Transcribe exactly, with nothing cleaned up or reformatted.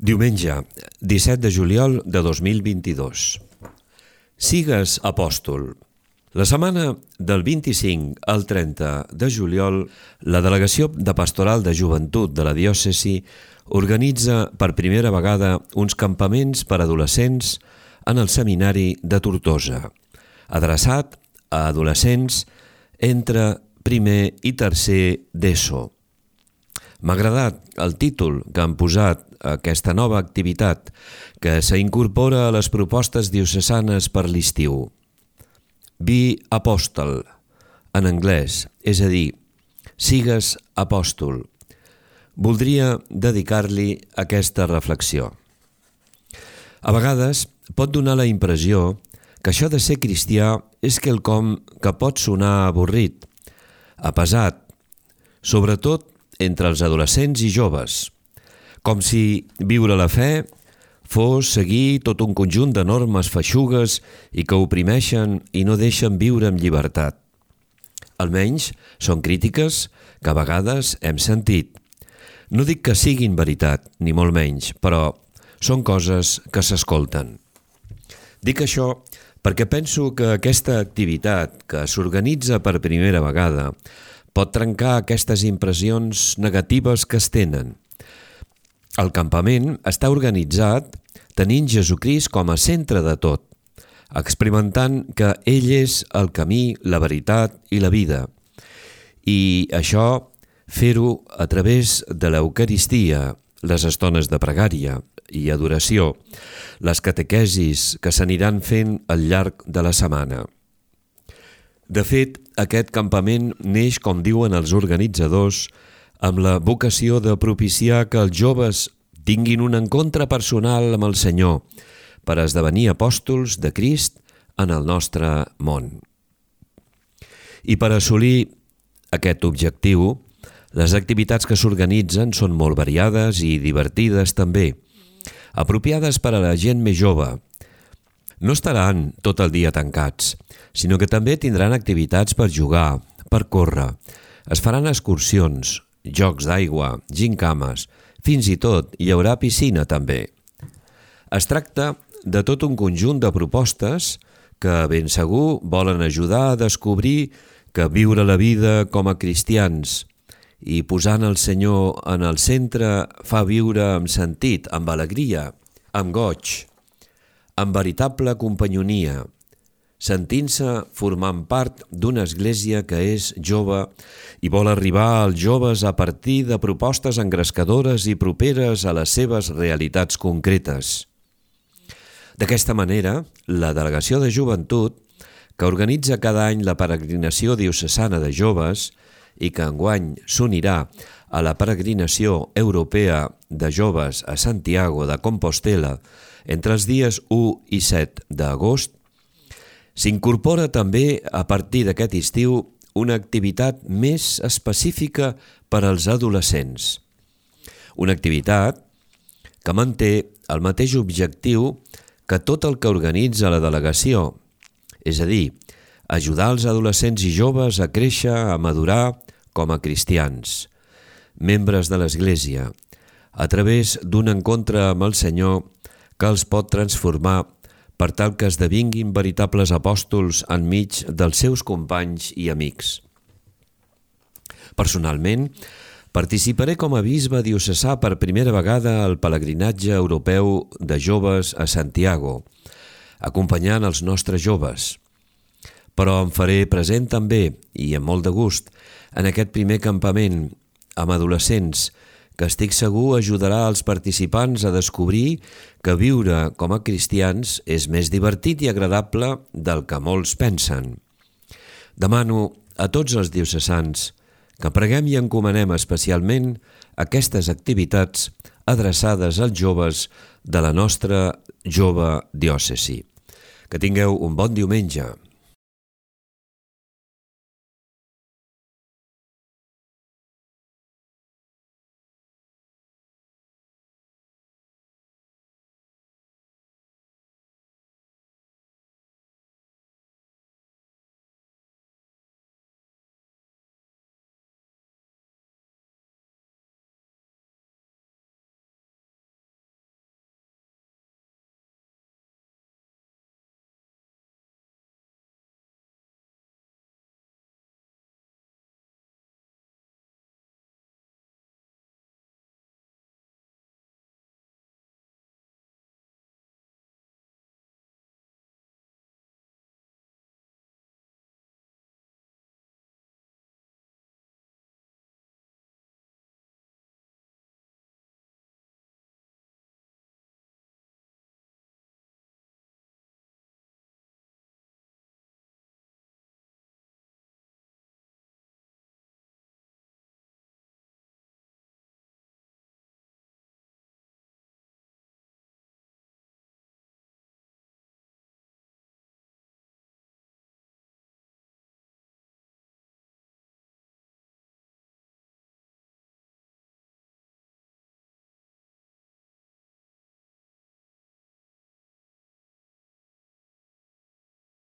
Diumenge, disset de juliol de dos mil vint-i-dos. Sigues apòstol. La setmana del vint-i-cinc al trenta de juliol, la Delegació de Pastoral de Joventut de la Diòcesi organitza per primera vegada uns campaments per adolescents en el Seminari de Tortosa, adreçat a adolescents entre primer i tercer d'ESO. M'ha agradat el títol que han posat a aquesta nova activitat que s'incorpora a les propostes diocesanes per l'estiu. Be Apostle, en anglès, és a dir, sigues apòstol. Voldria dedicar-li aquesta reflexió. A vegades pot donar la impressió que això de ser cristià és quelcom que pot sonar avorrit, apesat, sobretot entre els adolescents i joves, com si viure la fe fos seguir tot un conjunt de normes feixugues i que oprimeixen i no deixen viure amb llibertat. Almenys són crítiques que a vegades hem sentit. No dic que siguin veritat, ni molt menys, però són coses que s'escolten. Dic això perquè penso que aquesta activitat que s'organitza per primera vegada pot trencar aquestes impressions negatives que es tenen. El campament està organitzat tenint Jesucrist com a centre de tot, experimentant que ell és el camí, la veritat i la vida. I això, fer-ho a través de l'Eucaristia, les estones de pregària i adoració, les catequesis que s'aniran fent al llarg de la setmana. De fet, aquest campament neix, com diuen els organitzadors, amb la vocació de propiciar que els joves tinguin un encontre personal amb el Senyor per esdevenir apòstols de Crist en el nostre món. I per assolir aquest objectiu, les activitats que s'organitzen són molt variades i divertides també, apropiades per a la gent més jove. No estaran tot el dia tancats, sinó que també tindran activitats per jugar, per córrer. Es faran excursions, jocs d'aigua, gincames, fins i tot hi haurà piscina també. Es tracta de tot un conjunt de propostes que ben segur volen ajudar a descobrir que viure la vida com a cristians i posant el Senyor en el centre fa viure amb sentit, amb alegria, amb goig, amb veritable companyonia, sentint-se formant part d'una església que és jove i vol arribar als joves a partir de propostes engrescadores i properes a les seves realitats concretes. D'aquesta manera, la Delegació de Joventut, que organitza cada any la peregrinació diocesana de joves i que enguany s'unirà a la peregrinació europea de joves a Santiago de Compostela entre els dies u i set d'agost, s'incorpora també a partir d'aquest estiu una activitat més específica per als adolescents. Una activitat que manté el mateix objectiu que tot el que organitza la delegació, és a dir, ajudar els adolescents i joves a créixer, a madurar com a cristians, membres de l'Església, a través d'un encontre amb el Senyor que els pot transformar per tal que esdevinguin veritables apòstols enmig dels seus companys i amics. Personalment, participaré com a bisbe diocesà per primera vegada al pelegrinatge europeu de joves a Santiago, acompanyant els nostres joves. Però em faré present també, i amb molt de gust, en aquest primer campament amb adolescents, que estic segur ajudarà els participants a descobrir que viure com a cristians és més divertit i agradable del que molts pensen. Demano a tots els diocesans que preguem i encomanem especialment aquestes activitats adreçades als joves de la nostra jove diòcesi. Que tingueu un bon diumenge.